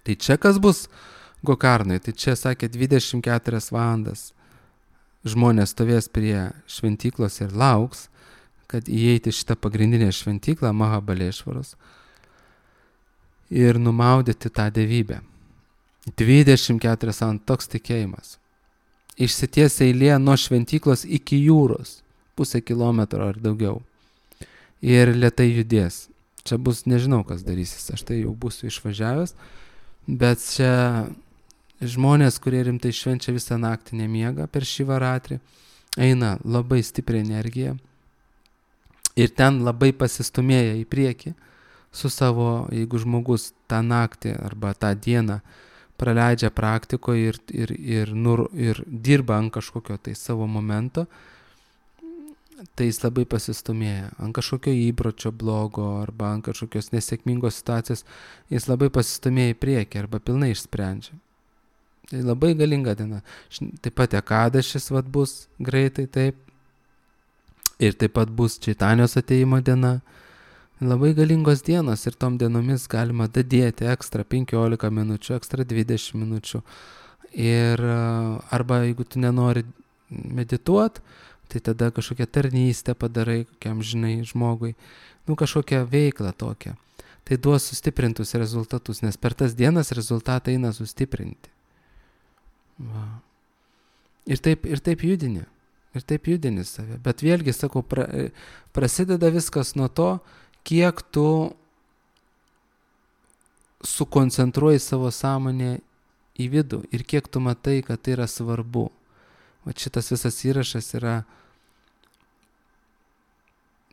Tai čia kas bus Gokarnai? Tai čia, sakė, 24 valandas žmonės stovės prie šventyklos ir lauks, kad įeiti šitą pagrindinę šventyklą Mahabalešvaros ir numaudyti tą dievybę. 24 valandas toks tikėjimas. Išsities eilė nuo šventyklos iki jūros, 0,5 kilometro ar daugiau. Ir lėtai judės. Čia bus, nežinau, kas darysis, aš tai jau būsiu išvažiavęs, bet čia žmonės, kurie rimtai švenčia visą naktį nemiega per Šivaratrį, eina labai stipri energija ir ten labai pasistumėja į priekį su savo, jeigu žmogus tą naktį arba tą dieną praleidžia praktikoje ir dirba ant kažkokio tai savo momento, tai jis labai pasistumėja ant kažkokio įpročio blogo arba ant kažkokios nesėkmingos situacijos, jis labai pasistumėja į priekį arba pilnai išsprendžia. Tai labai galinga diena. Taip pat Ekadašis bus greitai, taip. Ir taip pat bus Čaitanijos atėjimo diena. Labai galingos dienos ir tom dienomis galima dadėti ekstra 15 minučių, ekstra 20 minučių. Ir arba jeigu tu nenori medituoti, tai tada kažkokią tarnystę padarai, kokiam žinai žmogui, kažkokią veiklą tokią. Tai duos sustiprintus rezultatus, nes per tas dienas rezultatai eina sustiprinti. Va. Ir taip judini. Ir taip judini save. Bet vėlgi, sakau, prasideda viskas nuo to, kiek tu sukoncentruoji savo sąmonę į vidų ir kiek tu matai, kad tai yra svarbu. Va šitas visas įrašas yra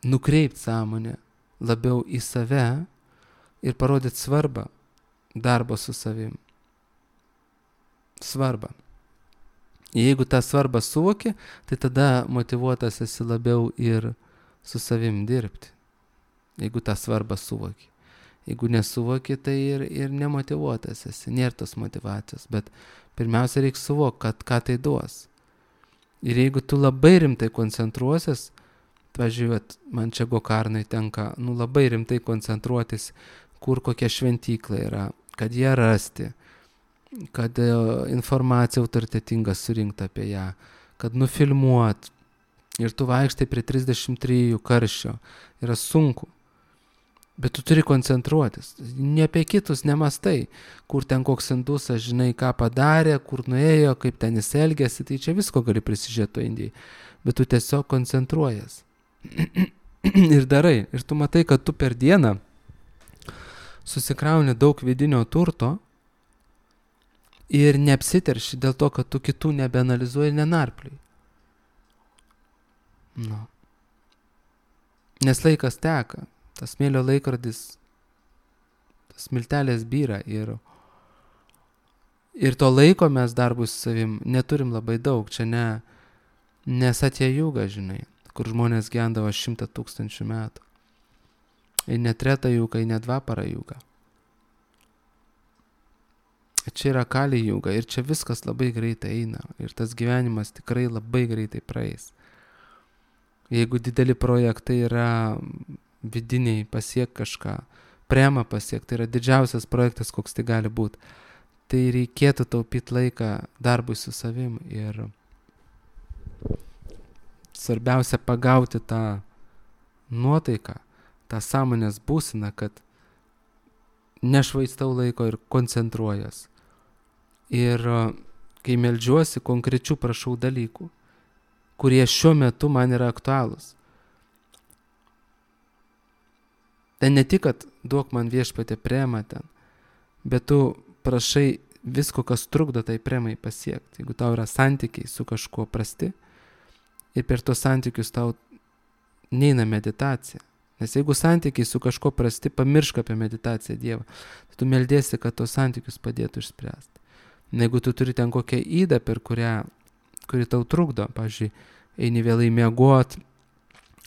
nukreipti sąmonę labiau į save ir parodyti svarbą darbo su savim. Svarbą. Jeigu tą svarbą suvoki, tai tada motyvuotas esi labiau ir su savim dirbti. Jeigu tą svarbą suvoki. Jeigu nesuvoki, tai ir nemotyvuotas esi. Nėra tos motyvacijos, bet pirmiausia reikia suvokti, ką tai duos. Ir jeigu tu labai rimtai koncentruosies, pavyzdžiui, man čia Gokarnai tenka labai rimtai koncentruotis, kur kokia šventykla yra, kad ją rasti, kad informacija autoritetinga surinkta apie ją, kad nufilmuot. Ir tu vaikštai prie 33 karščio. Yra sunku. Bet tu turi koncentruotis. Ne apie kitus nemastai, kur ten koks indusas, žinai, ką padarė, kur nuėjo, kaip ten jis elgėsi, tai čia visko gali prisižiūrėti Indijai. Bet tu tiesiog koncentruojas. ir darai. Ir tu matai, kad tu per dieną susikrauni daug vidinio turto ir neapsiterši dėl to, kad tu kitų nebeanalizuoji ir nenarpliai. Nu. Nes laikas teka, tas smėlio laikrodis, tas smiltelės byra ir to laiko mes darbui su savim neturim labai daug. Čia ne Satya Yuga, žinai, kur žmonės gyvendavo 100 000 metų. Ir ne Treta Yuga, ir ne Dvapara Yuga. Čia yra Kali Yuga ir čia viskas labai greitai eina. Ir tas gyvenimas tikrai labai greitai praeis. Jeigu dideli projektai yra vidiniai, pasiek kažką, prema pasiek, tai yra didžiausias projektas, koks tai gali būti. Tai reikėtų taupyti laiką darbui su savim ir svarbiausia pagauti tą nuotaiką, tą sąmonės būseną, kad nešvaistau laiko ir koncentruojas. Ir kai meldžiuosi, konkrečių prašau dalykų, kurie šiuo metu man yra aktualūs. Tai ne tik, kad duok man Viešpatie premą ten, bet tu prašai visko, kas trukdo tai premai pasiekti. Jeigu tau yra santykiai su kažkuo prasti ir per tos santykius tau neina meditacija. Nes jeigu santykiai su kažkuo prasti, pamiršk apie meditaciją Dievą. Tai tu meldėsi, kad tos santykius padėtų išspręsti. Jeigu tu turi ten kokią ydą, kuri tau trukdo, pavyzdžiui, eini vėlai miegot,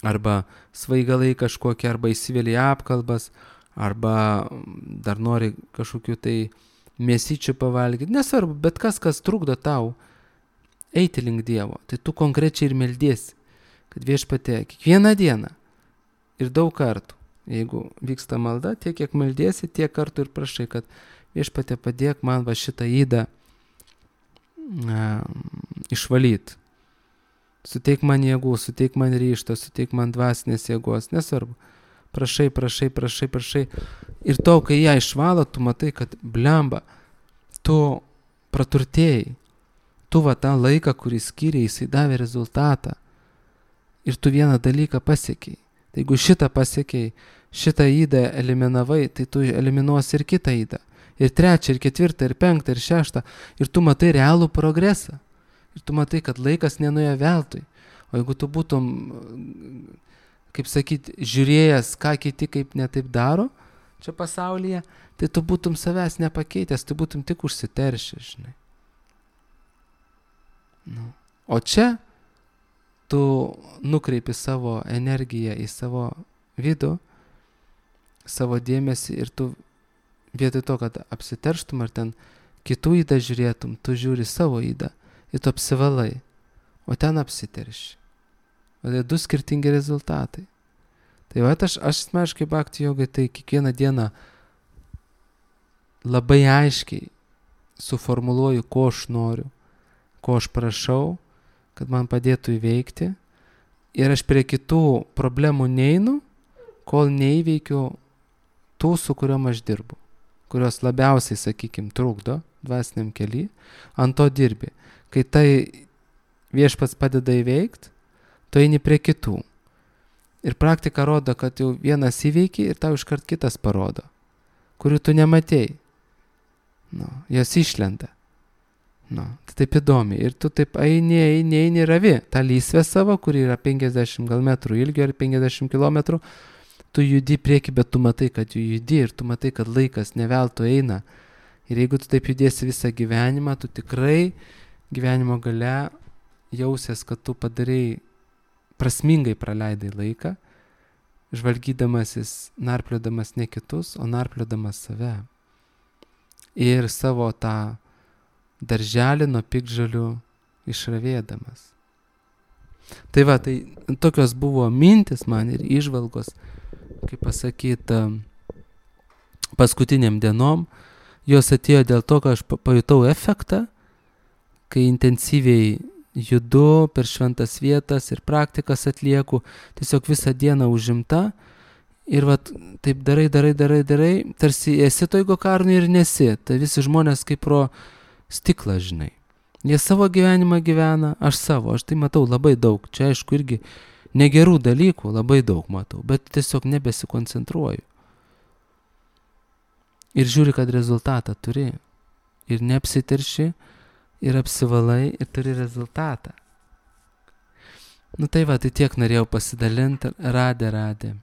arba svaigalai kažkokie, arba įsivėlė apkalbas, arba dar nori kažkokių tai mėsyčių pavalgyti. Nesvarbu, bet kas trukdo tau eiti link Dievo. Tai tu konkrečiai ir meldėsi, kad Viešpatie kiekvieną dieną ir daug kartų, jeigu vyksta malda, tiek kiek meldėsi, tiek kartų ir prašai, kad Viešpatie padėk man va šitą ydą išvalyti. Suteik man jėgų, suteik man ryžto, suteik man dvasinės jėgos, nesvarbu. Prašai. Ir to, kai ją išvalo, tu matai, kad blemba, tu praturtėjai. Tu va tą laiką, kurį skyrė, jisai davė rezultatą. Ir tu vieną dalyką pasiekiai. Tai jeigu šitą pasiekiai, šitą ydą eliminavai, tai tu eliminuosi ir kitą ydą. Ir trečią, ir ketvirtą, ir penktą, ir šeštą. Ir tu matai realų progresą. Ir tu matai, kad laikas nenuėjo veltui. O jeigu tu būtum, kaip sakyti, žiūrėjęs, ką kiti kaip netaip daro čia pasaulyje, tai tu būtum savęs nepakeitęs, tu būtum tik užsiteršęs, žinai. Nu. O čia tu nukreipi savo energiją į savo vidų, savo dėmesį ir tu vietoj to, kad apsiterštum ar ten kitų ydą žiūrėtum, tu žiūri savo ydą ir tu apsivalai, o ten apsiterši. O tai du skirtingi rezultatai. Tai va, aš asmeniškai bhakti jogai, tai kiekvieną dieną labai aiškiai suformuluoju, ko aš noriu, ko aš prašau, kad man padėtų įveikti. Ir aš prie kitų problemų neinu, kol neįveikiu tų, su kuriuom aš dirbu, kurios labiausiai, sakykime, trukdo dvasiniam kely, ant to dirbi. Kai tai Viešpats padeda įveikti, tu eini prie kitų. Ir praktika rodo, kad jau vienas įveiki ir tau iškart kitas parodo, kurių tu nematėjai. Nu, jos išlenda. Nu, tai taip įdomi. Ir tu taip eini ravi. Ta lysvė savo, kuri yra 50 gal metrų ilgio ir 50 kilometrų, tu judi prieki, bet tu matai, kad judi ir tu matai, kad laikas neveltui eina. Ir jeigu tu taip judėsi visą gyvenimą, tu tikrai gyvenimo gale jausies, kad tu padarai prasmingai praleidai laiką, žvalgydamasis, narpliodamas ne kitus, o narpliodamas save. Ir savo tą darželį nuo piktžolių išravėdamas. Tai va, tai tokios buvo mintis man ir įžvalgos, kaip pasakyti, paskutiniam dienom. Jos atėjo dėl to, kad aš pajutau efektą, kai intensyviai judu per šventas vietas ir praktikas atlieku, tiesiog visą dieną užimta ir vat, taip darai, tarsi esi toj gokarnui ir nesi. Tai visi žmonės kaip pro stiklą, žinai. Jie savo gyvenimą gyvena, aš savo, aš tai matau labai daug. Čia aišku irgi Negerų dalykų labai daug matau, bet tiesiog nebesikoncentruoju. Ir žiūri, kad rezultatą turi. Ir neapsiterši, ir apsivalai, ir turi rezultatą. Nu tai va, tai tiek norėjau pasidalinti, radė.